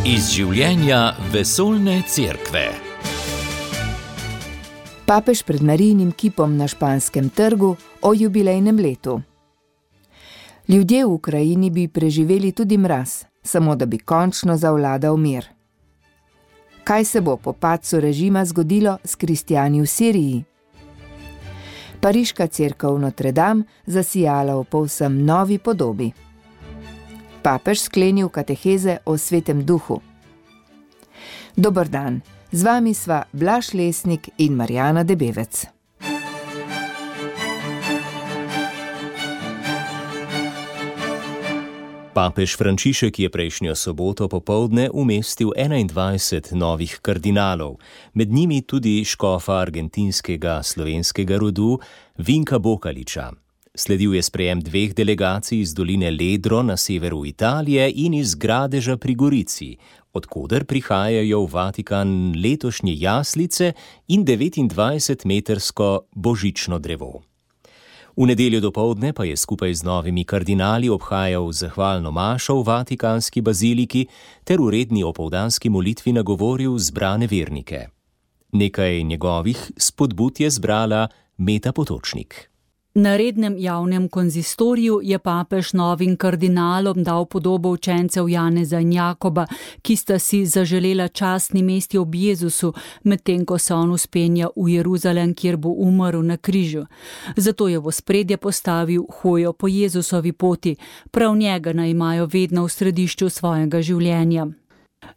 Iz življenja vesoljne cerkve. Papež pred Marijinim kipom na Španskem trgu o jubilejnem letu. Ljudje v Ukrajini bi preživeli tudi mraz, samo da bi končno zavladal mir. Kaj se bo po padcu režima zgodilo s kristjani v Siriji? Pariška cerkev Notre Dame zasijala v povsem novi podobi. Papež sklenil kateheze o Svetem duhu. Dober dan, z vami sva Blaž Lesnik in Marjana Debevec. Papež Frančišek je prejšnjo soboto popoldne umestil 21 novih kardinalov, med njimi tudi škofa argentinskega slovenskega rodu Vinka Bokaliča. Sledil je sprejem 2 delegacij iz doline Ledro na severu Italije in iz Gradeža pri Gorici, odkoder prihajajo v Vatikan letošnje jaslice in 29-metrsko božično drevo. V nedeljo dopoldne pa je skupaj z novimi kardinali obhajal zahvalno mašo v Vatikanski baziliki ter v redni opoldanski molitvi nagovoril zbrane vernike. Nekaj njegovih spodbud je zbrala Meta Potočnik. Na rednem javnem konzistoriju je papež novim kardinalom dal podobo učencev Janeza in Jakoba, ki sta si zaželela častni mesti ob Jezusu, medtem ko se on vzpenja v Jeruzalem, kjer bo umrl na križu. Zato je v ospredje postavil hojo po Jezusovi poti, prav njega naj imajo vedno v središču svojega življenja.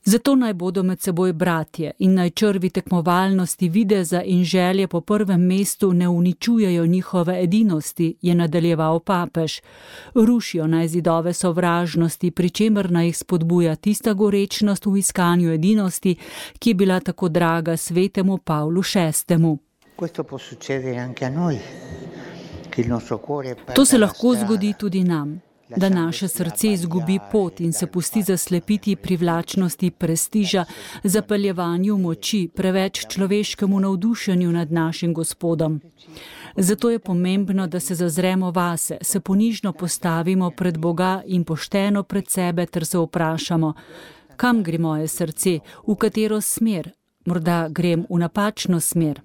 Zato naj bodo med seboj bratje in naj črvi tekmovalnosti, videza in želje po prvem mestu ne uničujejo njihove edinosti, je nadaljeval papež. Rušijo naj zidove sovražnosti, pri čemer naj jih spodbuja tista gorečnost v iskanju edinosti, ki je bila tako draga svetemu Pavlu VI. To se lahko zgodi tudi nam, da naše srce izgubi pot in se pusti zaslepiti privlačnosti prestiža, zapeljevanju moči, preveč človeškemu navdušenju nad našim Gospodom. Zato je pomembno, da se zazremo vase, se ponižno postavimo pred Boga in pošteno pred sebe ter se vprašamo, kam gre moje srce, v katero smer, morda grem v napačno smer.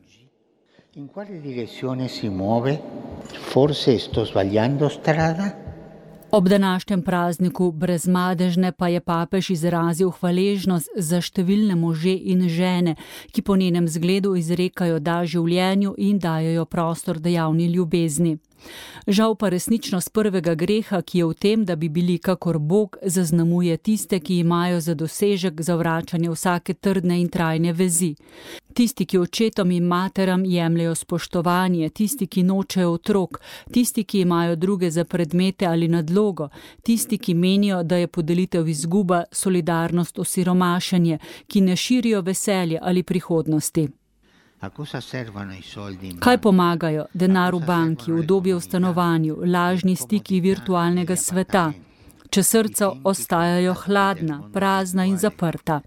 In quale direzione si muove? Forse sto sbagliando strada? Ob današnjem prazniku brezmadežne pa je papež izrazil hvaležnost za številne može in žene, ki po njenem zgledu izrekajo da življenju in dajejo prostor dejavni ljubezni. Žal pa resničnost prvega greha, ki je v tem, da bi bili kakor Bog, zaznamuje tiste, ki imajo za dosežek zavračanje vsake trdne in trajne vezi. Tisti, ki očetom in materam jemljajo spoštovanje, tisti, ki nočejo otrok, tisti, ki imajo druge za predmete ali nadlogo, tisti, ki menijo, da je podelitev izguba, solidarnost osiromašenje, ki ne širijo veselje ali prihodnosti. Kaj pomagajo? Denar v banki, udobje v stanovanju, lažni stiki virtualnega sveta, če srca ostajajo hladna, prazna in zaprta?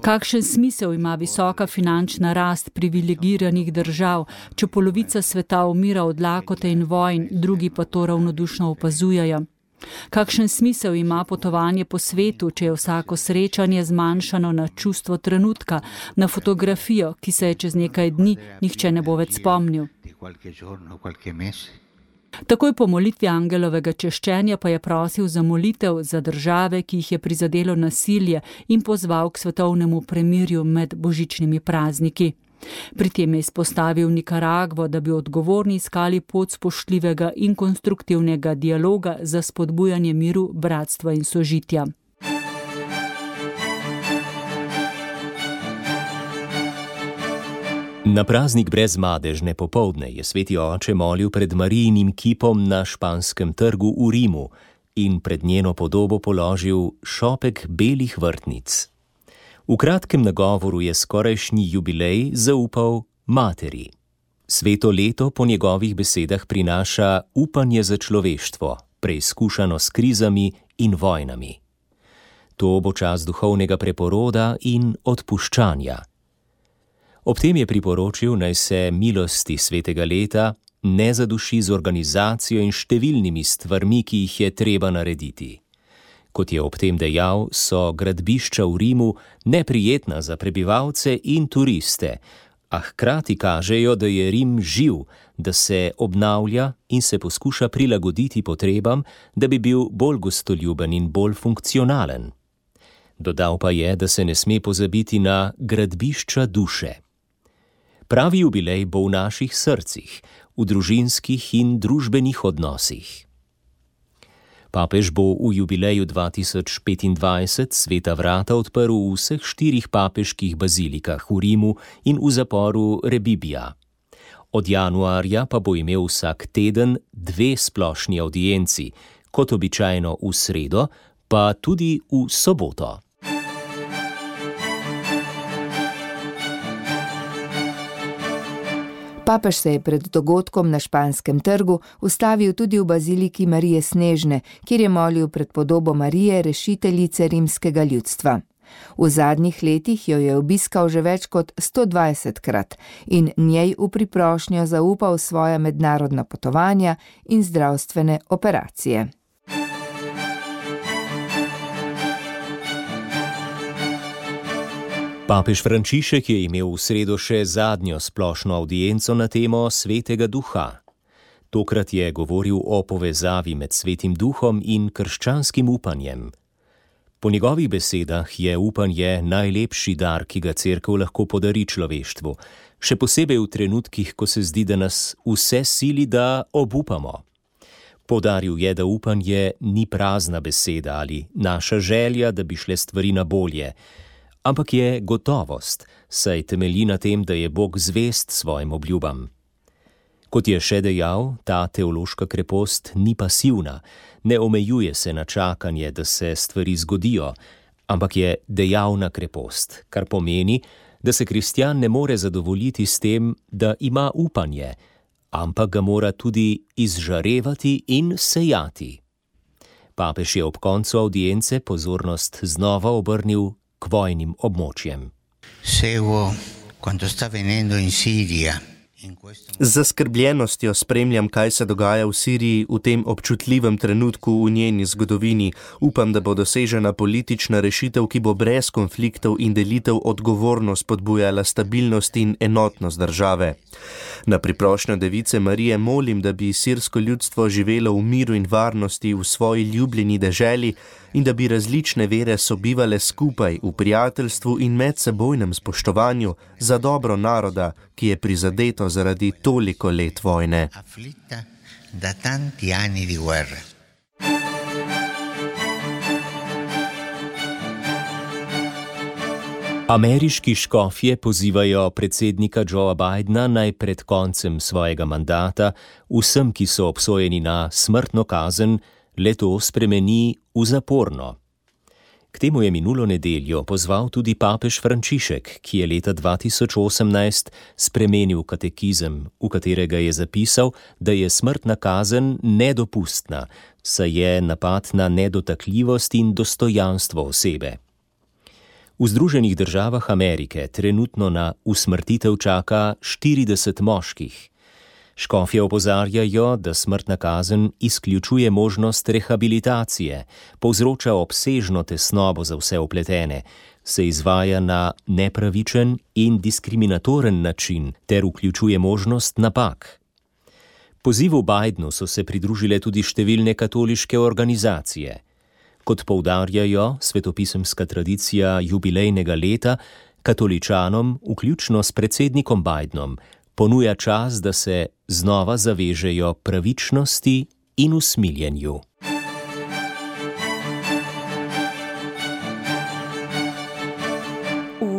Kakšen smisel ima visoka finančna rast privilegiranih držav, če polovica sveta umira od lakote in vojn, drugi pa to ravnodušno opazujejo? Kakšen smisel ima potovanje po svetu, če je vsako srečanje zmanjšano na čustvo trenutka, na fotografijo, ki se je čez nekaj dni nihče ne bo več spomnil? Takoj po molitvi angelovega češčenja pa je prosil za molitev za države, ki jih je prizadelo nasilje, in pozval k svetovnemu premirju med božičnimi prazniki. Pri tem je izpostavil Nikaragvo, da bi odgovorni iskali pot spoštljivega in konstruktivnega dialoga za spodbujanje miru, bratstva in sožitja. Na praznik brezmadežne popoldne je sveti oče molil pred Marijinim kipom na Španskem trgu v Rimu in pred njeno podobo položil šopek belih vrtnic. V kratkem nagovoru je skorajšnji jubilej zaupal materi. Sveto leto po njegovih besedah prinaša upanje za človeštvo, preizkušano s krizami in vojnami. To bo čas duhovnega preporoda in odpuščanja. Ob tem je priporočil, naj se milosti svetega leta ne zaduši z organizacijo in številnimi stvarmi, ki jih je treba narediti. Kot je ob tem dejal, so gradbišča v Rimu neprijetna za prebivalce in turiste, a hkrati kažejo, da je Rim živ, da se obnavlja in se poskuša prilagoditi potrebam, da bi bil bolj gostoljuben in bolj funkcionalen. Dodal pa je, da se ne sme pozabiti na gradbišča duše. Pravi jubilej bo v naših srcih, v družinskih in družbenih odnosih. Papež bo v jubileju 2025 sveta vrata odprl v vseh 4 papeških bazilikah v Rimu in v zaporu Rebibbia. Od januarja pa bo imel vsak teden 2 splošni avdienci, kot običajno v sredo, pa tudi v soboto. Papež se je pred dogodkom na Španskem trgu ustavil tudi v baziliki Marije Snežne, kjer je molil pred podobo Marije, rešiteljice rimskega ljudstva. V zadnjih letih jo je obiskal že več kot 120krat in njej v priprošnjo zaupal svoja mednarodna potovanja in zdravstvene operacije. Papež Frančišek je imel v sredo še zadnjo splošno avdienco na temo Svetega Duha. Tokrat je govoril o povezavi med Svetim Duhom in krščanskim upanjem. Po njegovih besedah je upanje najlepši dar, ki ga Cerkev lahko podari človeštvu, še posebej v trenutkih, ko se zdi, da nas vse sili, da obupamo. Poudaril je, da upanje ni prazna beseda ali naša želja, da bi šle stvari na bolje, ampak je gotovost, saj temelji na tem, da je Bog zvest svojim obljubam. Kot je še dejal, ta teološka krepost ni pasivna, ne omejuje se na čakanje, da se stvari zgodijo, ampak je dejavna krepost, kar pomeni, da se kristjan ne more zadovoljiti s tem, da ima upanje, ampak ga mora tudi izžarevati in sejati. Papež je ob koncu avdience pozornost znova obrnil k vojnim območjem. Z zaskrbljenostjo spremljam, kaj se dogaja v Siriji v tem občutljivem trenutku v njeni zgodovini. Upam, da bo dosežena politična rešitev, ki bo brez konfliktov in delitev odgovorno spodbujala stabilnost in enotnost države. Na priprošnjo Device Marije molim, da bi sirsko ljudstvo živelo v miru in varnosti v svoji ljubljeni deželi in da bi različne vere sobivale skupaj v prijateljstvu in medsebojnem spoštovanju za dobro naroda, ki je prizadeto zaradi toliko let vojne. Ameriški škofje pozivajo predsednika Joea Bidena naj pred koncem svojega mandata vsem, ki so obsojeni na smrtno kazen, le-to spremeni v zaporno. K temu je minulo nedeljo pozval tudi papež Frančišek, ki je leta 2018 spremenil katekizem, v katerega je zapisal, da je smrtna kazen nedopustna, saj je napad na nedotakljivost in dostojanstvo osebe. V Združenih državah Amerike trenutno na usmrtitev čaka 40 moških. Škofje opozarjajo, da smrtna kazen izključuje možnost rehabilitacije, povzroča obsežno tesnobo za vse vpletene, se izvaja na nepravičen in diskriminatoren način ter vključuje možnost napak. Pozivu Bidenu so se pridružile tudi številne katoliške organizacije. Kot poudarjajo svetopisemska tradicija jubilejnega leta, katoličanom, vključno s predsednikom Bidenom, ponuja čas, da se znova zavežejo pravičnosti in usmiljenju.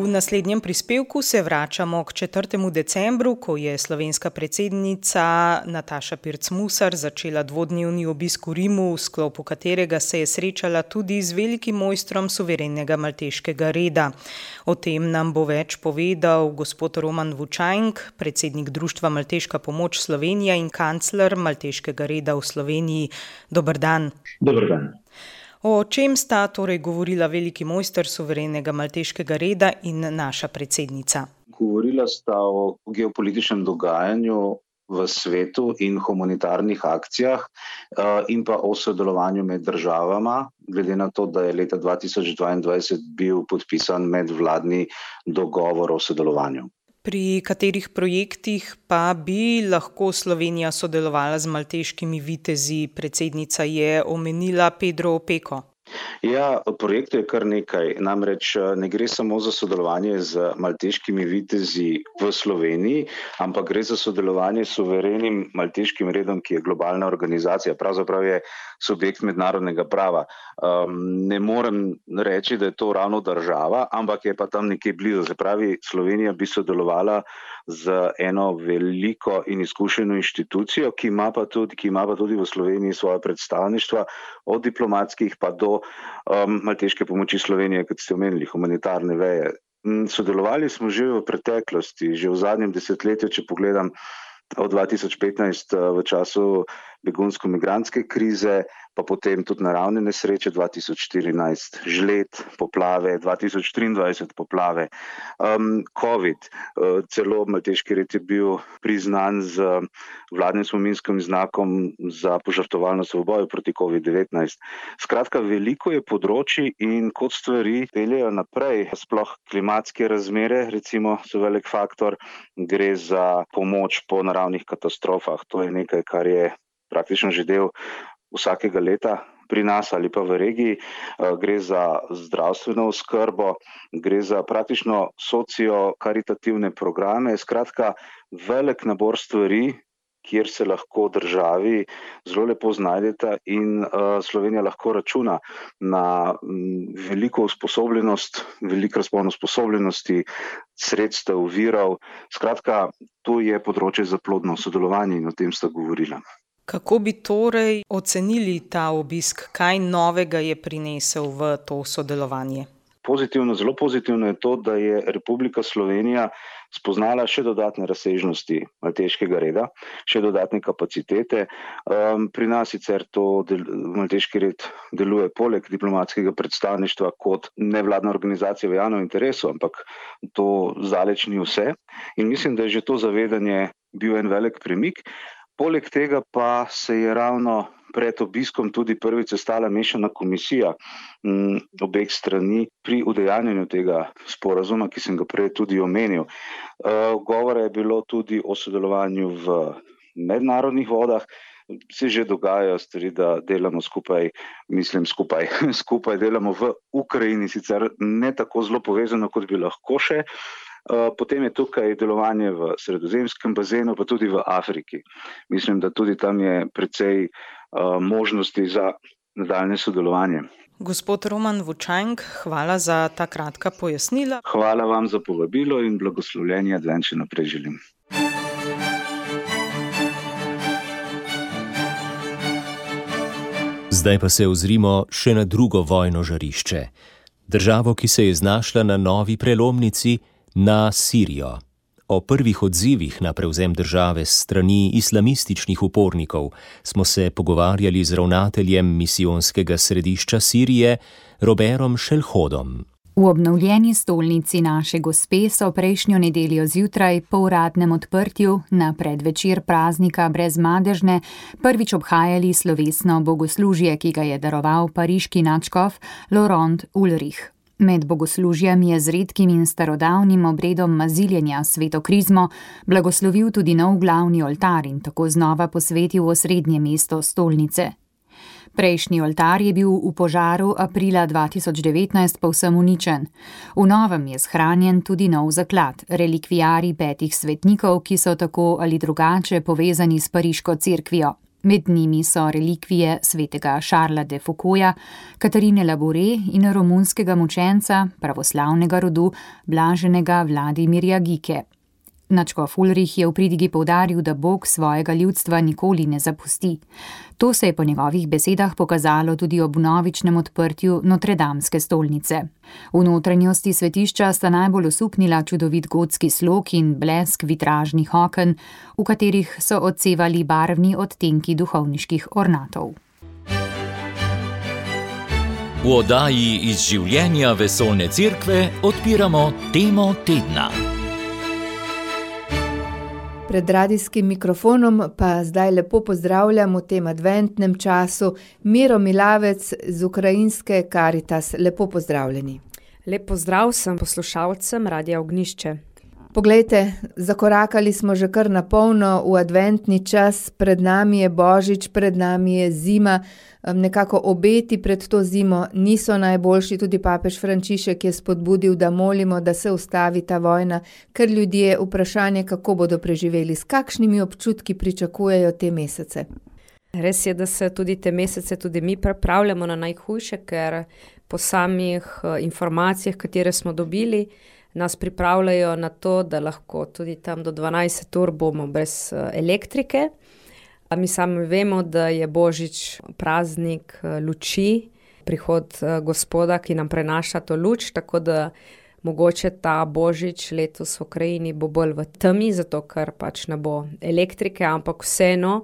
V naslednjem prispevku se vračamo k 4. decembru, ko je slovenska predsednica Nataša Pirc Musar začela dvodnevni obisk v Rimu, v sklopu katerega se je srečala tudi z velikim mojstrom suverenega malteškega reda. O tem nam bo več povedal gospod Roman Vučajnk, predsednik Društva Malteška pomoč Slovenija in kancler malteškega reda v Sloveniji. Dober dan. Dober dan. O čem sta torej govorila veliki mojster suverenega malteškega reda in naša predsednica? Govorila sta o geopolitičnem dogajanju v svetu in humanitarnih akcijah in pa o sodelovanju med državama, glede na to, da je leta 2022 bil podpisan medvladni dogovor o sodelovanju. Pri katerih projektih pa bi lahko Slovenija sodelovala z malteškimi vitezi? Predsednica je omenila Pedro Opeko. Ja, projektov je kar nekaj. Namreč ne gre samo za sodelovanje z malteškimi vitezi v Sloveniji, ampak gre za sodelovanje s suverenim malteškim redom, ki je globalna organizacija, pravzaprav je subjekt mednarodnega prava. Ne morem reči, da je to ravno država, ampak je pa tam nekje blizu. Se pravi, Slovenija bi sodelovala z eno veliko in izkušeno inštitucijo, ki ima pa tudi v Sloveniji svoje predstavništva, od diplomatskih pa do malteške pomoči Slovenije, kot ste omenili, humanitarne veje. Sodelovali smo že v preteklosti, že v zadnjem desetletju, če pogledam od 2015 v času begunsko-migrantske krize, pa potem tudi naravne nesreče 2014, žled, poplave, 2023 poplave, COVID, celo malteški red je bil priznan z vladnim spominskim znakom za požrtvovalnost v boju proti COVID-19. Skratka, veliko je področji in kot stvari peljejo naprej, sploh klimatske razmere, recimo, so velik faktor, gre za pomoč po naravnih katastrofah, to je nekaj, kar je praktično že del vsakega leta pri nas ali pa v regiji, gre za zdravstveno oskrbo, gre za praktično socio-karitativne programe, skratka velik nabor stvari, kjer se lahko državi zelo lepo znajdeta in Slovenija lahko računa na veliko usposobljenost, veliko razpon usposobljenosti, sredstev, virov, skratka to je področje za plodno sodelovanje in o tem sta govorila. Kako bi torej ocenili ta obisk? Kaj novega je prinesel v to sodelovanje? Pozitivno, zelo pozitivno je to, da je Republika Slovenija spoznala še dodatne razsežnosti malteškega reda, še dodatne kapacitete. Pri nas sicer malteški red deluje poleg diplomatskega predstavništva kot nevladna organizacija v javnem interesu, ampak to zdaleč ni vse. In mislim, da je že to zavedanje bil en velik premik. Poleg tega pa se je ravno pred obiskom tudi prvič sestala mešana komisija obeh strani pri udejanjanju tega sporazuma, ki sem ga prej tudi omenil. Govora je bilo tudi o sodelovanju v mednarodnih vodah. Se že dogajajo stvari, da delamo skupaj delamo v Ukrajini, sicer ne tako zelo povezano, kot bi lahko še. Potem je tukaj delovanje v sredozemskem bazenu, pa tudi v Afriki. Mislim, da tudi tam je precej možnosti za nadaljne sodelovanje. Gospod Roman Vučank, hvala za ta kratka pojasnila. Hvala vam za povabilo in blagoslovljenje advent še naprej želim. Zdaj pa se ozrimo še na drugo vojno žarišče. Državo, ki se je znašla na novi prelomnici, na Sirijo. O prvih odzivih na prevzem države s strani islamističnih upornikov smo se pogovarjali z ravnateljem misijonskega središča Sirije, Robertom Šelhodom. V obnovljeni stolnici Naše Gospe so prejšnjo nedeljo zjutraj po uradnem odprtju na predvečer praznika Brezmadežne prvič obhajali slovesno bogoslužje, ki ga je daroval pariški nadškof Laurent Ulrich. Med bogoslužjem je z redkim in starodavnim obredom maziljenja sveto krizmo blagoslovil tudi nov glavni oltar in tako znova posvetil osrednje mesto stolnice. Prejšnji oltar je bil v požaru aprila 2019 povsem uničen. V novem je shranjen tudi nov zaklad, relikvijarij 5 svetnikov, ki so tako ali drugače povezani s pariško cerkvijo. Med njimi so relikvije svetega Šarla de Foucaulta, Katarine Labore in romunskega mučenca pravoslavnega rodu blaženega Vladimirja Gike. Nadškof Ulrich je v pridigi poudaril, da Bog svojega ljudstva nikoli ne zapusti. To se je po njegovih besedah pokazalo tudi ob vnovičnem odprtju Notredamske stolnice. V notranjosti svetišča sta najbolj osupnila čudovit gotski slog in blesk vitražnih oken, v katerih so odsevali barvni odtenki duhovniških ornatov. V oddaji iz življenja vesoljne cerkve odpiramo temo tedna. Pred radijskim mikrofonom pa zdaj lepo pozdravljam v tem adventnem času Miro Milavec z ukrajinske Karitas. Lepo pozdravljeni. Lep pozdrav sem poslušalcem Radia Ognjišče. Poglejte, zakorakali smo že kar na polno v adventni čas, pred nami je Božič, pred nami je zima, nekako obeti pred to zimo niso najboljši, tudi papež Frančišek je spodbudil, da molimo, da se ustavi ta vojna, ker ljudje vprašanje, kako bodo preživeli, s kakšnimi občutki pričakujejo te mesece. Res je, da se tudi te mesece tudi mi pripravljamo na najhujše, ker po samih informacijah, katere smo dobili, nas pripravljajo na to, da lahko tudi tam do 12 ur bomo brez elektrike. Mi sami vemo, da je Božič praznik luči, prihod Gospoda, ki nam prenaša to luč, tako da mogoče ta Božič letos v Ukrajini bo bolj v temi, zato ker pač ne bo elektrike, ampak vseeno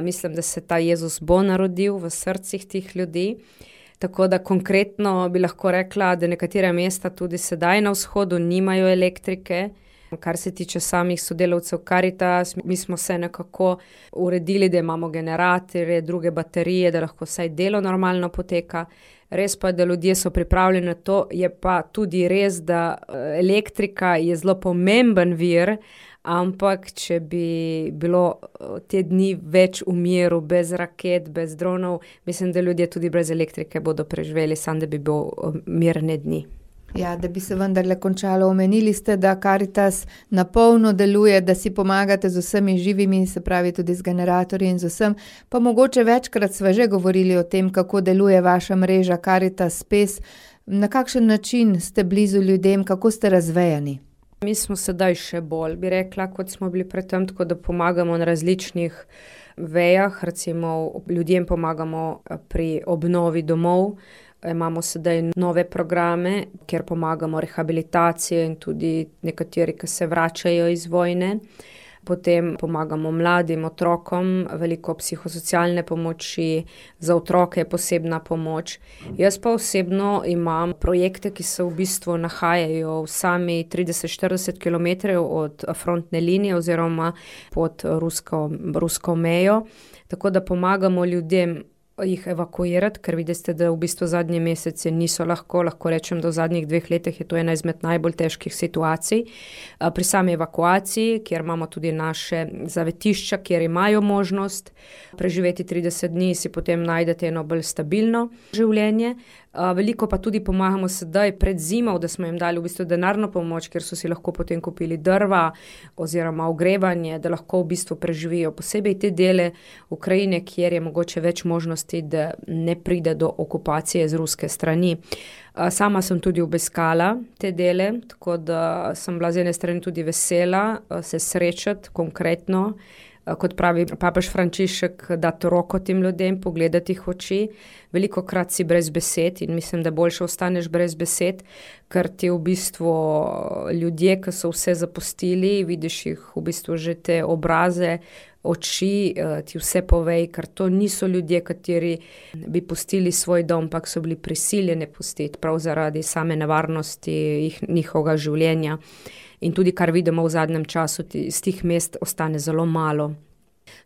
mislim, da se ta Jezus bo narodil v srcih tih ljudi. Tako da konkretno bi lahko rekla, da nekatere mesta tudi sedaj na vzhodu nimajo elektrike. Kar se tiče samih sodelavcev Karitas, mi smo se nekako uredili, da imamo generatorje, druge baterije, da lahko vsaj delo normalno poteka. Res pa, da ljudje so pripravljeni na to, je pa tudi res, da elektrika je zelo pomemben vir, ampak če bi bilo te dni več v miru, bez raket, bez dronov, mislim, da ljudje tudi brez elektrike bodo preživeli, samo da bi bil mirne dni. Ja, da bi se vendarle končalo. Omenili ste, da Karitas na polno deluje, da si pomagate z vsemi živimi, se pravi tudi z generatorji in z vsem, pa mogoče večkrat sva že govorili o tem, kako deluje vaša mreža Karitas Spes. Na kakšen način ste blizu ljudem, kako ste razvejani? Mi smo sedaj še bolj, bi rekla, kot smo bili predtem, tako da pomagamo na različnih vejah, recimo ljudem pomagamo pri obnovi domov, imamo sedaj nove programe, kjer pomagamo rehabilitacije in tudi nekateri, ki se vračajo iz vojne. Potem pomagamo mladim otrokom, veliko psihosocialne pomoči, za otroke je posebna pomoč. Jaz pa osebno imam projekte, ki se v bistvu nahajajo v sami 30-40 km od frontne linije oziroma pod rusko mejo, tako da pomagamo ljudem jih evakuirati, ker vidite, da v bistvu zadnje mesece niso lahko rečem, da v zadnjih 2 letih je to ena izmed najbolj težkih situacij. Pri sami evakuaciji, kjer imamo tudi naše zavetišča, kjer imajo možnost preživeti 30 dni, si potem najdete eno bolj stabilno življenje. Veliko pa tudi pomagamo sedaj pred zimo, da smo jim dali v bistvu denarno pomoč, ker so si lahko potem kupili drva oziroma ogrevanje, da lahko v bistvu preživijo posebej te dele Ukrajine, kjer je mogoče več možnosti, da ne pride do okupacije z ruske strani. Sama sem tudi obiskala te dele, tako da sem bila z ene strani tudi vesela se srečati konkretno, kot pravi papež Frančišek, dati roko tem ljudem, pogledati jih v oči. Velikokrat si brez besed in mislim, da boljše ostaneš brez besed, ker ti v bistvu ljudje, ki so vse zapustili, vidiš jih v bistvu že te obraze, oči, ti vse povej, ker to niso ljudje, kateri bi pustili svoj dom, ampak so bili prisiljeni pustiti prav zaradi same nevarnosti njihovega življenja. In tudi, kar vidimo v zadnjem času, iz tih mest ostane zelo malo.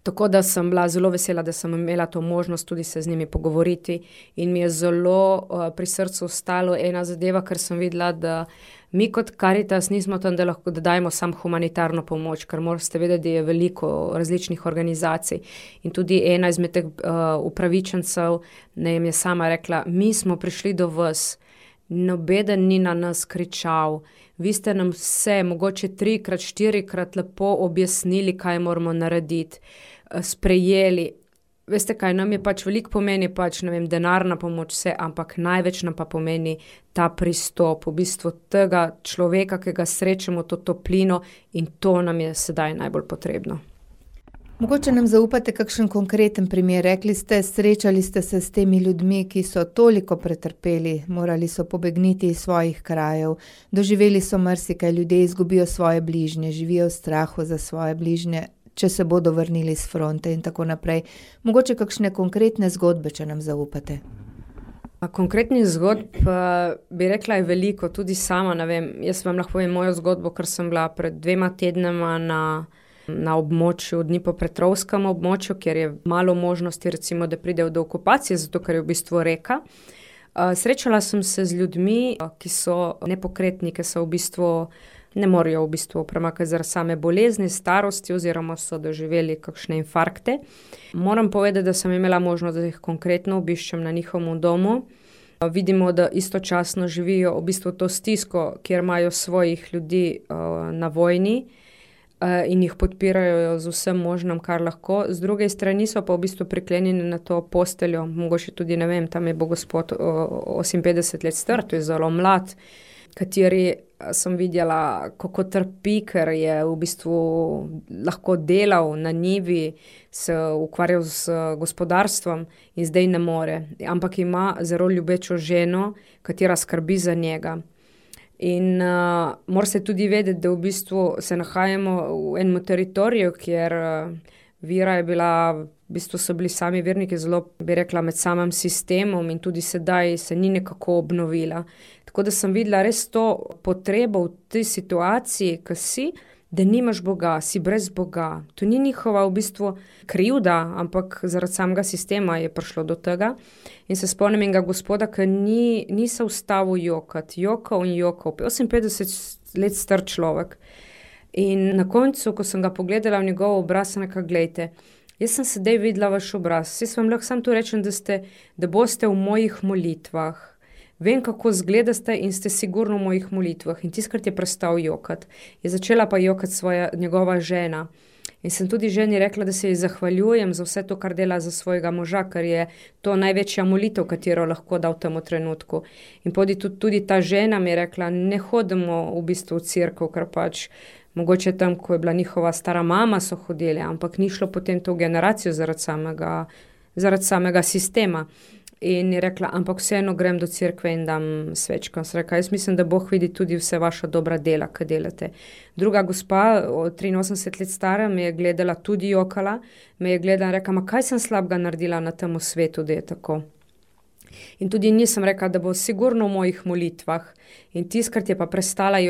Tako da sem bila zelo vesela, da sem imela to možnost tudi se z njimi pogovoriti in mi je zelo pri srcu ostalo ena zadeva, ker sem videla, da mi kot Karitas nismo tam, da lahko dajemo samo humanitarno pomoč, ker morate vedeti, da je veliko različnih organizacij. In tudi ena izmed teh upravičencev nam je sama rekla, mi smo prišli do vas, nobeden ni na nas kričal, vi ste nam vse, mogoče 3-krat, 4-krat lepo objasnili, kaj moramo narediti, sprejeli. Veste kaj, nam je pač veliko pomeni pač, ne vem, denarna pomoč vse, ampak največ nam pa pomeni ta pristop, v bistvu tega človeka, ki ga srečamo, to toplino in to nam je sedaj najbolj potrebno. Mogoče nam zaupate kakšen konkreten primer. Rekli ste, srečali ste se s temi ljudmi, ki so toliko pretrpeli, morali so pobegniti iz svojih krajev, doživeli so marsikaj, ljudje izgubijo svoje bližnje, živijo v strahu za svoje bližnje, če se bodo vrnili s fronte in tako naprej. Mogoče kakšne konkretne zgodbe, če nam zaupate. Konkretnih zgodb bi rekla je veliko, tudi sama, ne vem, jaz vam lahko povem mojo zgodbo, ker sem bila pred 2 tednama na na območju, Dnipropetrovskem območju, kjer je malo možnosti, recimo, da pridejo do okupacije, zato ker je v bistvu reka. Srečala sem se z ljudmi, ki so nepokretni, ki so v bistvu ne morejo v bistvu premakati zaradi same bolezni, starosti oziroma so doživeli kakšne infarkte. Moram povedati, da sem imela možnost, da jih konkretno obiščem na njihovem domu. Vidimo, da istočasno živijo v bistvu to stisko, kjer imajo svojih ljudi na vojni in jih podpirajo z vsem možnim, kar lahko. Z druge strani so pa v bistvu priklenjeni na to posteljo, mogoče tudi, ne vem, tam je bo gospod 58 let star, to je zelo mlad, kateri sem videla, kako trpi, ker je v bistvu lahko delal na njivi, se ukvarjal z gospodarstvom in zdaj ne more. Ampak ima zelo ljubečo ženo, katera skrbi za njega. In mora se tudi vedeti, da v bistvu se nahajamo v enem teritoriju, kjer vera je bila, v bistvu so bili sami verniki zelo, bi rekla, med samim sistemom in tudi sedaj se ni nekako obnovila. Tako da sem videla res to potrebo v tej situaciji, ko si, da nimaš Boga, si brez Boga. To ni njihova v bistvu krivda, ampak zaradi samega sistema je prišlo do tega. In se spomnim enega gospoda, ki ni se ustavil jokati, jokal in jokal, 58 let star človek. In na koncu, ko sem ga pogledala v njegov obraz, sem rekla, glejte, jaz sem sedaj videla vaš obraz, jaz vam lahko samo to rečem, da boste v mojih molitvah. Vem, kako zgledate in ste sigurno v mojih molitvah. In tiskrat je prestal jokati. Je začela pa jokati njegova žena. In sem tudi ženi rekla, da se ji zahvaljujem za vse to, kar dela za svojega moža, ker je to največja molitev, katero lahko da v tem trenutku. In tudi ta žena mi je rekla, ne hodimo v bistvu v cerkev, ker pač mogoče tam, ko je bila njihova stara mama, so hodili, ampak ni šlo potem to generacijo zaradi samega sistema. In je rekla, ampak vseeno grem do cerkve in dam svečko. Sem rekla, jaz mislim, da Bog vidi tudi vse vaša dobra dela, ki delate. Druga gospa, 83 let stara, me je gledala, tudi jokala, me je gledala in rekla, ma kaj sem slabega naredila na tem svetu, da je tako. In tudi nisem rekla, da bo sigurno v mojih molitvah. In tiskrat je pa prestala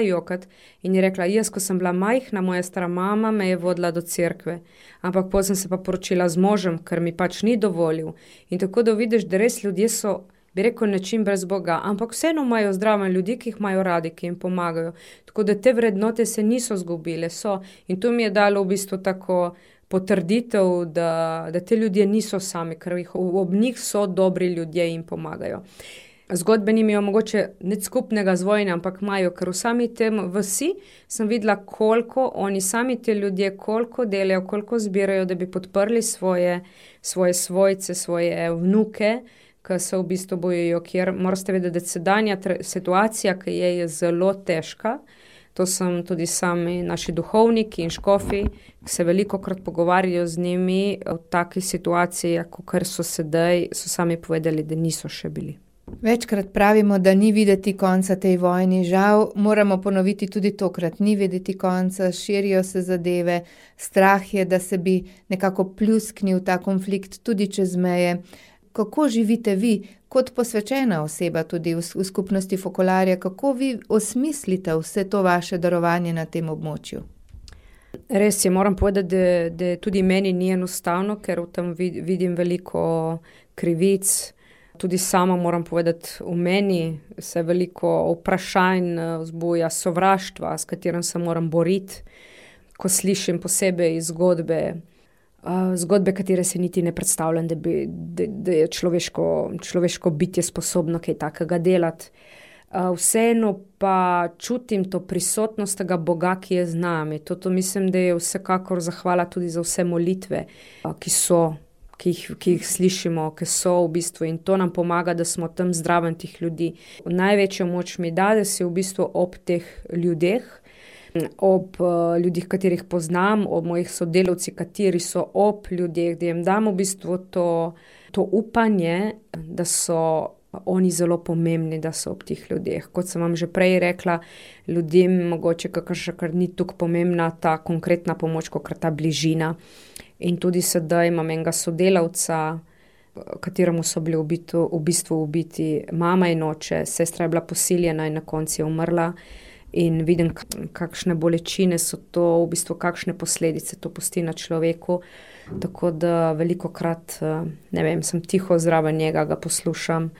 jokati in je rekla, jaz, ko sem bila majhna, moja stara mama me je vodila do cerkve. Ampak potem sem se pa poročila z možem, ker mi pač ni dovolil. In tako da vidiš, da res ljudje so, bi rekel, način brez Boga, ampak vseeno imajo zdrave ljudi, ki jih imajo radi, ki jim pomagajo. Tako da te vrednote se niso zgubile, so. In to mi je dalo v bistvu tako potrditev, da te ljudje niso sami, ker ob njih so dobri ljudje in pomagajo. Zgodbe nimajo mogoče nič skupnega z vojne, ampak imajo, ker v sami tem vsi sem videla, koliko oni sami te ljudje, koliko delajo, koliko zbirajo, da bi podprli svoje svojce, svoje vnuke, ki se v bistvu bojijo, kjer morate vedeti, da sedanja situacija, ki je zelo težka. To sem tudi sami naši duhovniki in škofi, ki se velikokrat pogovarjajo z njimi v takih situacijah, kot so sedaj, so sami povedali, da niso še bili. Večkrat pravimo, da ni videti konca tej vojni. Žal moramo ponoviti tudi tokrat. Ni videti konca, širijo se zadeve, strah je, da se bi nekako pljusknil ta konflikt tudi čez meje. Kako živite vi, kot posvečena oseba tudi v skupnosti Fokolarja, kako vi osmislite vse to vaše darovanje na tem območju? Res je, moram povedati, da tudi meni ni enostavno, ker v tem vidim veliko krivic. Tudi sama moram povedati, v meni se veliko vprašanj vzbuja, sovraštva, s katerim se moram boriti, ko slišim posebej zgodbe, katere se niti ne predstavljam, da je človeško bitje sposobno kaj takega delati. Vseeno pa čutim to prisotnost tega Boga, ki je z nami. To mislim, da je vsekakor zahvala tudi za vse molitve, ki jih slišimo, ki so v bistvu, in to nam pomaga, da smo tam zdraven tih ljudi. Največjo moč mi da, da si v bistvu ob teh ljudeh, ob ljudih, katerih poznam, ob mojih sodelavcih, kateri so ob ljudeh, da jim dam v bistvu to upanje, da so oni zelo pomembni, da so ob teh ljudeh. Kot sem vam že prej rekla, ljudem mogoče kar ni tako pomembna ta konkretna pomoč, kot ta bližina. In tudi sedaj imam enega sodelavca, kateremu so bili v bistvu ubiti mama in oče, sestra je bila posiljena in na koncu je umrla. in vidim, kakšne bolečine so to, v bistvu kakšne posledice to pusti na človeku. Tako da velikokrat, sem tiho zraven njega, ga poslušam,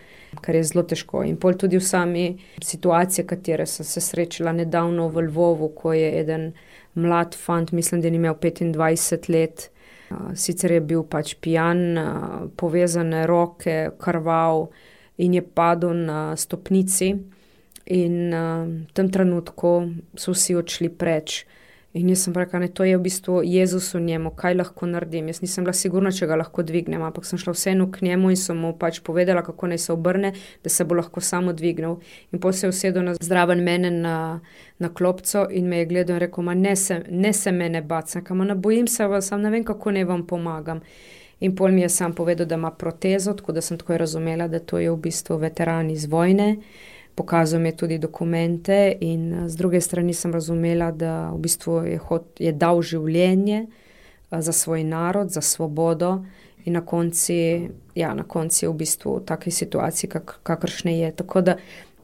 kar je zelo težko. In pol tudi v sami situaciji, katere sem se srečala nedavno v Lvovu, ko je eden mlad fant, mislim, da je imel 25 let, sicer je bil pač pijan, povezane roke, krval in je padel na stopnici in v tem trenutku so vsi odšli preč. In jaz sem rekla, to je v bistvu Jezus v njemu, kaj lahko naredim. Jaz nisem bila sigurna, če ga lahko dvignem, ampak sem šla vseeno k njemu in sem mu pač povedala, kako naj se obrne, da se bo lahko samo dvignil. In potem se je usedel zraven mene na klopco in me je gledal in rekel, ne se mene bati, ne bojim se vas, sam ne vem, kako naj vam pomagam. In pol mi je sam povedal, da ima protezo, tako da sem takoj razumela, da to je v bistvu veteran iz vojne. Pokazal mi je tudi dokumente in z druge strani sem razumela, da v bistvu je dal življenje za svoj narod, za svobodo in na konci je v bistvu v takej situaciji, kakršne je. Tako da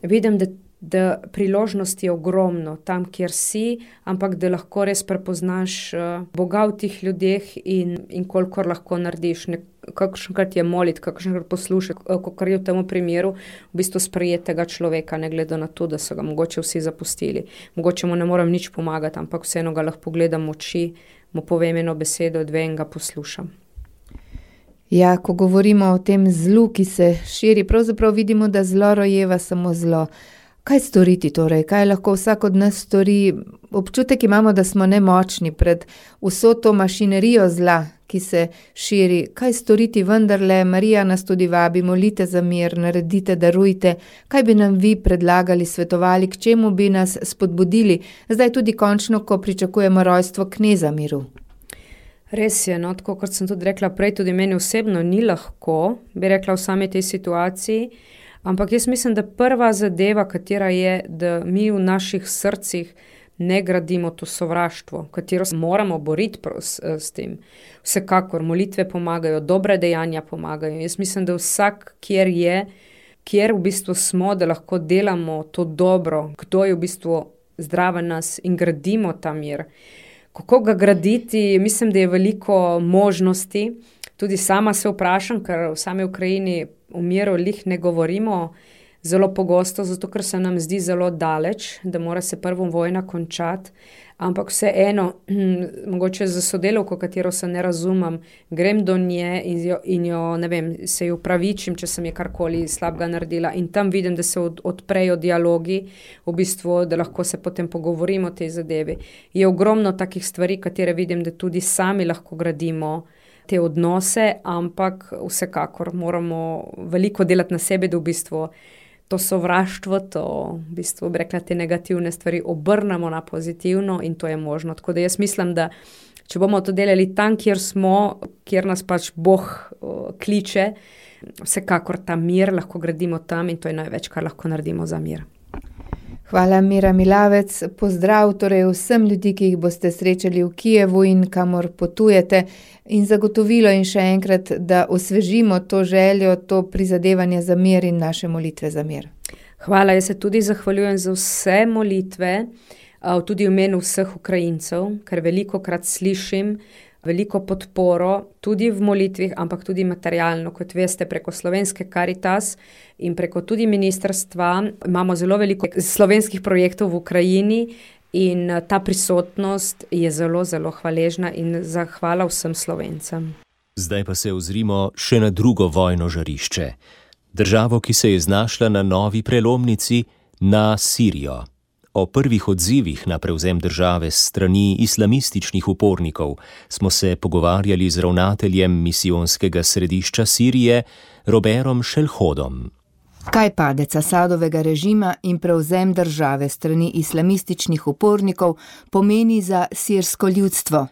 vidim, da priložnost je ogromno tam, kjer si, ampak da lahko res prepoznaš Boga v tih ljudeh in kolikor lahko narediš. Kakšenkrat je moliti, kakšenkrat poslušati, kakor je v tem primeru v bistvu sprejetega človeka, ne glede na to, da so ga mogoče vsi zapustili. Mogoče mu ne moram nič pomagati, ampak vseeno ga lahko pogledam v oči, mu povem eno besedo, dve in ga poslušam. Ja, ko govorimo o tem zlu, ki se širi, pravzaprav vidimo, da zlo rojeva samo zlo. Kaj storiti torej? Kaj lahko vsak od nas stori? Občutek imamo, da smo nemočni pred vso to mašinerijo zla, ki se širi. Kaj storiti vendarle? Marija nas tudi vabi, molite za mir, naredite, darujte. Kaj bi nam vi predlagali, svetovali, k čemu bi nas spodbudili? Zdaj tudi končno, ko pričakujemo rojstvo kneza miru. Res je, tako kot sem tudi rekla prej, tudi meni osebno ni lahko, bi rekla v sami tej situaciji, ampak jaz mislim, da prva zadeva, katera je, da mi v naših srcih ne gradimo to sovraštvo, katero se moramo boriti s tem. Vsekakor molitve pomagajo, dobre dejanja pomagajo. Jaz mislim, da vsak, kjer v bistvu smo, da lahko delamo to dobro, kdo je v bistvu zdraven nas in gradimo ta mir. Kako ga graditi, mislim, da je veliko možnosti. Tudi sama se vprašam, ker v sami Ukrajini o miru ne govorimo zelo pogosto, zato ker se nam zdi zelo daleč, da mora se prvo vojna končati, ampak vseeno, mogoče za sodelavko, katero se ne razumem, grem do nje in jo, se jo upravičim, če sem je karkoli slabega naredila in tam vidim, da se odprejo dialogi, v bistvu, da lahko se potem pogovorimo o tej zadevi. Je ogromno takih stvari, katere vidim, da tudi sami lahko gradimo te odnose, ampak vsekakor moramo veliko delati na sebi, da v bistvu to sovraštvo, to v bistvu bi rekla te negativne stvari obrnemo na pozitivno in to je možno. Tako da jaz mislim, da če bomo to delali tam, kjer smo, kjer nas pač Bog kliče, vsekakor ta mir lahko gradimo tam in to je največ, kar lahko naredimo za mir. Hvala, Mira Milavec. Pozdrav torej vsem ljudi, ki jih boste srečali v Kijevu in kamor potujete in zagotovilo in še enkrat, da osvežimo to željo, to prizadevanje za mir in naše molitve za mir. Hvala, jaz se tudi zahvaljujem za vse molitve, tudi v imenu vseh Ukrajincev, ker velikokrat slišim veliko podporo, tudi v molitvi, ampak tudi materialno, kot veste, preko Slovenske Karitas in preko tudi ministrstva. Imamo zelo veliko slovenskih projektov v Ukrajini in ta prisotnost je zelo, zelo hvaležna in zahvala vsem Slovencem. Zdaj pa se ozrimo še na drugo vojno žarišče. Državo, ki se je znašla na novi prelomnici, na Sirijo. O prvih odzivih na prevzem države s strani islamističnih upornikov smo se pogovarjali z ravnateljem misijonskega središča Sirije, Roberom Šelhodom. Kaj padec Asadovega režima in prevzem države s strani islamističnih upornikov pomeni za sirsko ljudstvo?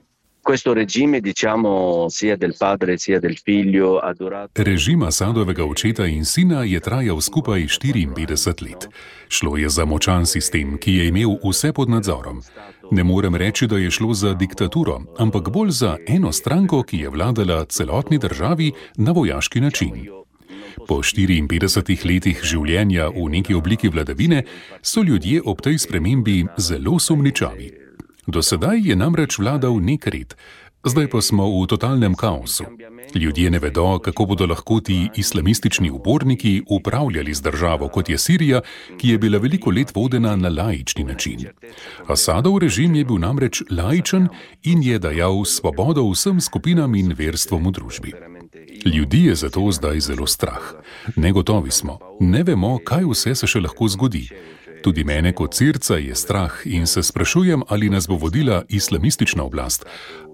Režim Asadovega očeta in sina je trajal skupaj 54 let. Šlo je za močan sistem, ki je imel vse pod nadzorom. Ne morem reči, da je šlo za diktaturo, ampak bolj za eno stranko, ki je vladala celotni državi na vojaški način. Po 54 letih življenja v neki obliki vladavine so ljudje ob tej spremembi zelo sumničavi. Do sedaj je namreč vladal nek red, zdaj pa smo v totalnem kaosu. Ljudje ne vedo, kako bodo lahko ti islamistični uporniki upravljali z državo, kot je Sirija, ki je bila veliko let vodena na laični način. Asadov režim je bil namreč laičen in je dajal svobodo vsem skupinam in verstvom v družbi. Ljudi je zato zdaj zelo strah. Negotovi smo, ne vemo, kaj vse se še lahko zgodi. Tudi mene kot Sirca je strah in se sprašujem, ali nas bo vodila islamistična oblast,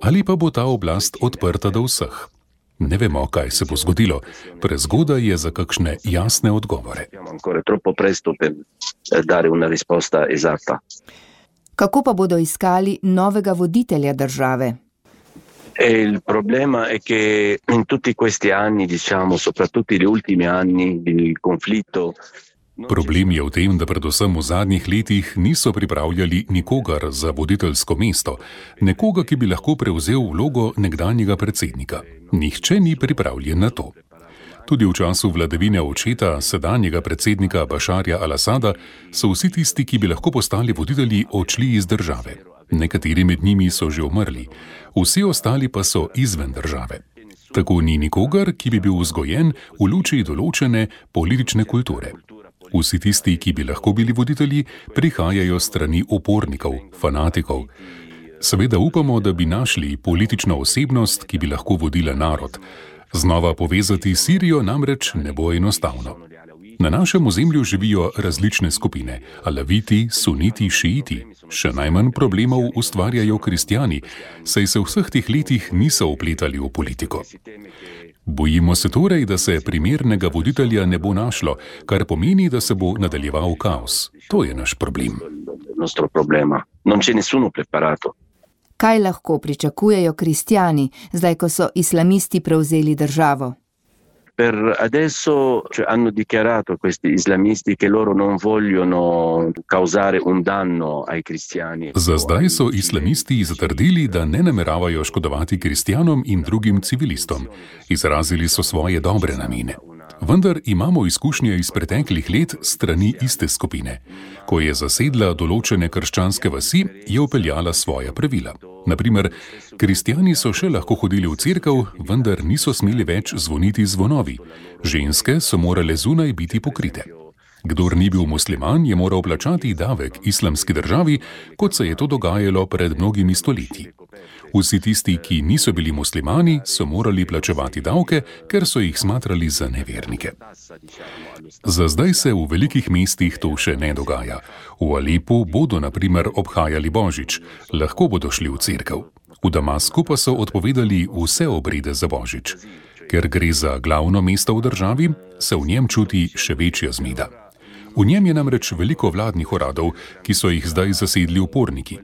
ali pa bo ta oblast odprta do vseh. Ne vemo, kaj se bo zgodilo. Prezgodaj je za kakšne jasne odgovore. Kako pa bodo iskali novega voditelja države? Il problema è che in tutti questi anni, soprattutto negli ultimi anni del conflitto. Problem je v tem, da predvsem v zadnjih letih niso pripravljali nikogar za voditeljsko mesto, nekoga, ki bi lahko prevzel vlogo nekdanjega predsednika. Nihče ni pripravljen na to. Tudi v času vladavine očeta, sedanjega predsednika Bašarja al-Asada, so vsi tisti, ki bi lahko postali voditelji, odšli iz države. Nekateri med njimi so že umrli, vsi ostali pa so izven države. Tako ni nikogar, ki bi bil vzgojen v luči določene politične kulture. Vsi tisti, ki bi lahko bili voditelji, prihajajo strani upornikov, fanatikov. Seveda upamo, da bi našli politično osebnost, ki bi lahko vodila narod. Znova povezati Sirijo namreč ne bo enostavno. Na našem ozemlju živijo različne skupine, alaviti, suniti, šiiti. Še najmanj problemov ustvarjajo kristjani, saj se v vseh teh letih niso vpletali v politiko. Bojimo se torej, da se primernega voditelja ne bo našlo, kar pomeni, da se bo nadaljeval kaos. To je naš problem. Kaj lahko pričakujejo kristjani, zdaj ko so islamisti prevzeli državo? Per adesso hanno dichiarato questi islamisti che loro non vogliono causare un danno ai cristiani. Za zdaj so islamisti zatrdili, da ne nameravajo škodovati kristjanom in drugim civilistom. Izrazili so svoje dobre namene. Vendar imamo izkušnje iz preteklih let strani iste skupine. Ko je zasedla določene krščanske vasi, je vpeljala svoja pravila. Naprimer, kristjani so še lahko hodili v cerkev, vendar niso smeli več zvoniti zvonovi. Ženske so morale zunaj biti pokrite. Kdor ni bil musliman, je moral plačati davek islamski državi, kot se je to dogajalo pred mnogimi stoletji. Vsi tisti, ki niso bili muslimani, so morali plačevati davke, ker so jih smatrali za nevernike. Za zdaj se v velikih mestih to še ne dogaja. V Alepu bodo na primer obhajali Božič, lahko bodo šli v cerkev. V Damasku pa so odpovedali vse obrede za Božič. Ker gre za glavno mesto v državi, se v njem čuti še večja zmeda. V njem je namreč veliko vladnih uradov, ki so jih zdaj zasedli uporniki.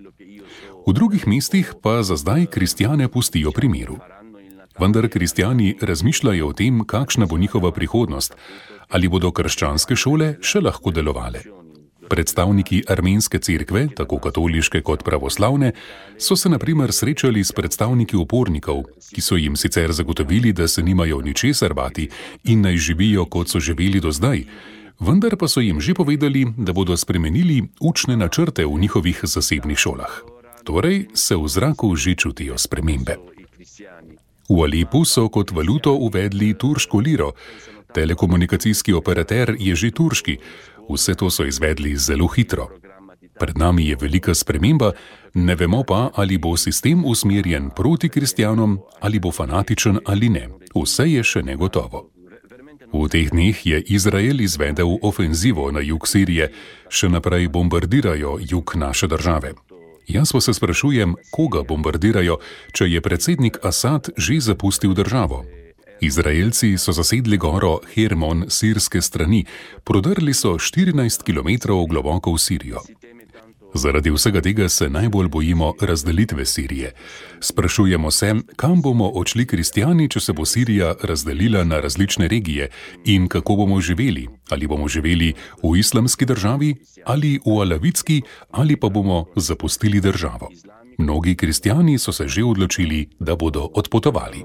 V drugih mestih pa za zdaj kristjane pustijo pri miru. Vendar kristjani razmišljajo o tem, kakšna bo njihova prihodnost, ali bodo krščanske šole še lahko delovale. Predstavniki armenske cerkve, tako katoliške kot pravoslavne, so se na primer srečali s predstavniki upornikov, ki so jim sicer zagotovili, da se nimajo ničesar bati in naj živijo, kot so živeli do zdaj, vendar pa so jim že povedali, da bodo spremenili učne načrte v njihovih zasebnih šolah. Torej se v zraku že čutijo spremembe. V Alepu so kot valuto uvedli turško liro. Telekomunikacijski operater je že turški. Vse to so izvedli zelo hitro. Pred nami je velika sprememba, ne vemo pa, ali bo sistem usmerjen proti kristjanom, ali bo fanatičen ali ne. Vse je še negotovo. V teh dneh je Izrael izvedel ofenzivo na jug Sirije, še naprej bombardirajo jug naše države. Jaz pa se sprašujem, koga bombardirajo, če je predsednik Asad že zapustil državo. Izraelci so zasedli goro Hermon sirske strani, prodrli so 14 km globoko v Sirijo. Zaradi vsega tega se najbolj bojimo razdelitve Sirije. Sprašujemo se, kam bomo odšli kristjani, če se bo Sirija razdelila na različne regije in kako bomo živeli. Ali bomo živeli v islamski državi, ali v alavitski, ali pa bomo zapustili državo. Mnogi kristjani so se že odločili, da bodo odpotovali.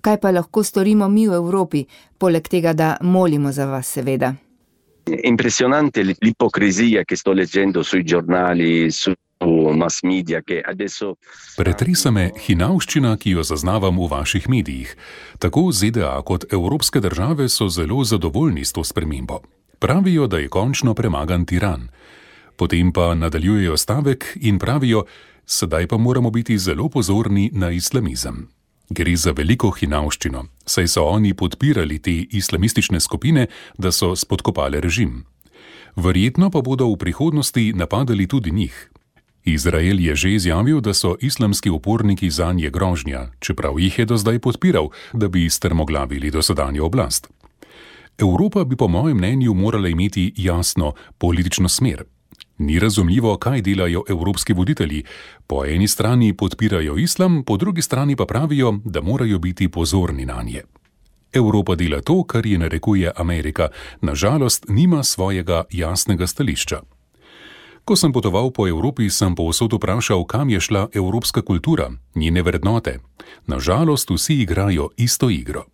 Kaj pa lahko storimo mi v Evropi, poleg tega, da molimo za vas, seveda? Impressionante l'ipocrisija, ki sto leggendo sui giornali, su mass media, che adesso... Pretresa me hinavščina, ki jo zaznavam v vaših medijih. Tako ZDA kot evropske države so zelo zadovoljni s to spremembo. Pravijo, da je končno premagan tiran. Potem pa nadaljujejo stavek in pravijo, sedaj pa moramo biti zelo pozorni na islamizem. Gre za veliko hinavščino, saj so oni podpirali te islamistične skupine, da so spodkopale režim. Verjetno pa bodo v prihodnosti napadali tudi njih. Izrael je že izjavil, da so islamski uporniki zanje grožnja, čeprav jih je do zdaj podpiral, da bi strmoglavili dosedanjo oblast. Evropa bi po mojem mnenju morala imeti jasno politično smer. Ni razumljivo, kaj delajo evropski voditelji. Po eni strani podpirajo islam, po drugi strani pa pravijo, da morajo biti pozorni nanje. Evropa dela to, kar ji narekuje Amerika, nažalost nima svojega jasnega stališča. Ko sem potoval po Evropi, sem povsod vprašal, kam je šla evropska kultura, njene vrednote. Nažalost vsi igrajo isto igro.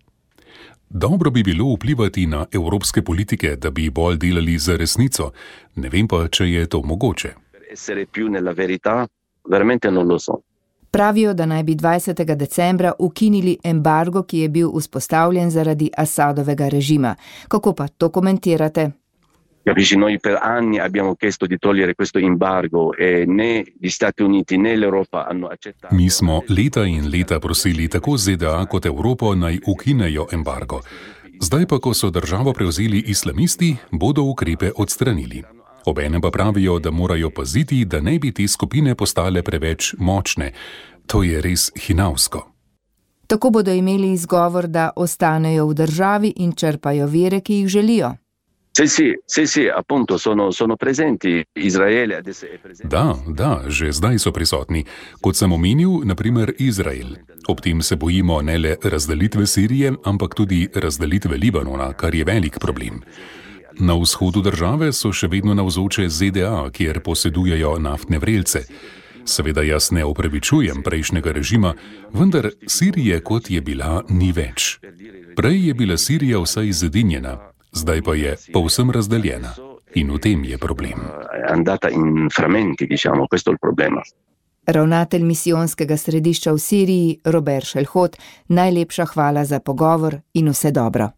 Dobro bi bilo vplivati na evropske politike, da bi bolj delali za resnico. Ne vem pa, če je to mogoče. Pravijo, da naj bi 20. decembra ukinili embargo, ki je bil vzpostavljen zaradi Assadovega režima. Kako pa to komentirate? Capisci, noi per anni abbiamo chiesto di togliere questo embargo e né gli Stati Uniti né l'Europa hanno accettato. Mi smo leta in leta prosili tako ZDA kot Evropo naj ukinejo embargo. Zdaj pa, ko so državo prevzeli islamisti, bodo ukrepe odstranili. Obenem pa pravijo, da morajo paziti, da ne bi te skupine postale preveč močne. To je res hinavsko. Tako bodo imeli izgovor, da ostanejo v državi in črpajo vire, ki jih želijo. Sì, appunto sono presenti. Izraele adesso è presente. Da, že zdaj so prisotni. Kot sem omenil, na primer Izrael. Ob tem se bojimo ne le razdelitve Sirije, ampak tudi razdelitve Libanona, kar je velik problem. Na vzhodu države so še vedno navzoče ZDA, kjer posedujejo naftne vrelce. Seveda jaz ne opravičujem prejšnjega režima, vendar Sirije, kot je bila, ni več. Prej je bila Sirija vsaj zedinjena. Zdaj pa je povsem razdeljena. In v tem je problem. Andata in fragmenti, diciamo, questo è il problema. Ravnatelj misijonskega središča v Siriji, Robert Šelhot, najlepša hvala za pogovor in vse dobro.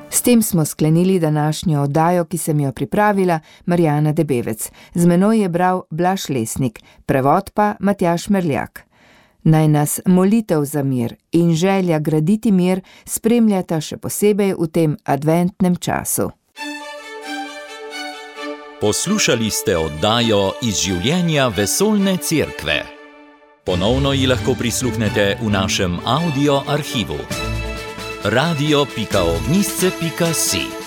S tem smo sklenili današnjo oddajo, ki sem jo pripravila, Marjana Debevec. Z menoj je bral Blaž Lesnik, prevod pa Matjaž Merljak. Naj nas molitev za mir in želja graditi mir spremljata še posebej v tem adventnem času. Poslušali ste oddajo iz življenja Vesoljne cerkve. Ponovno ji lahko prisluhnete v našem audio arhivu. radio.ognisce.si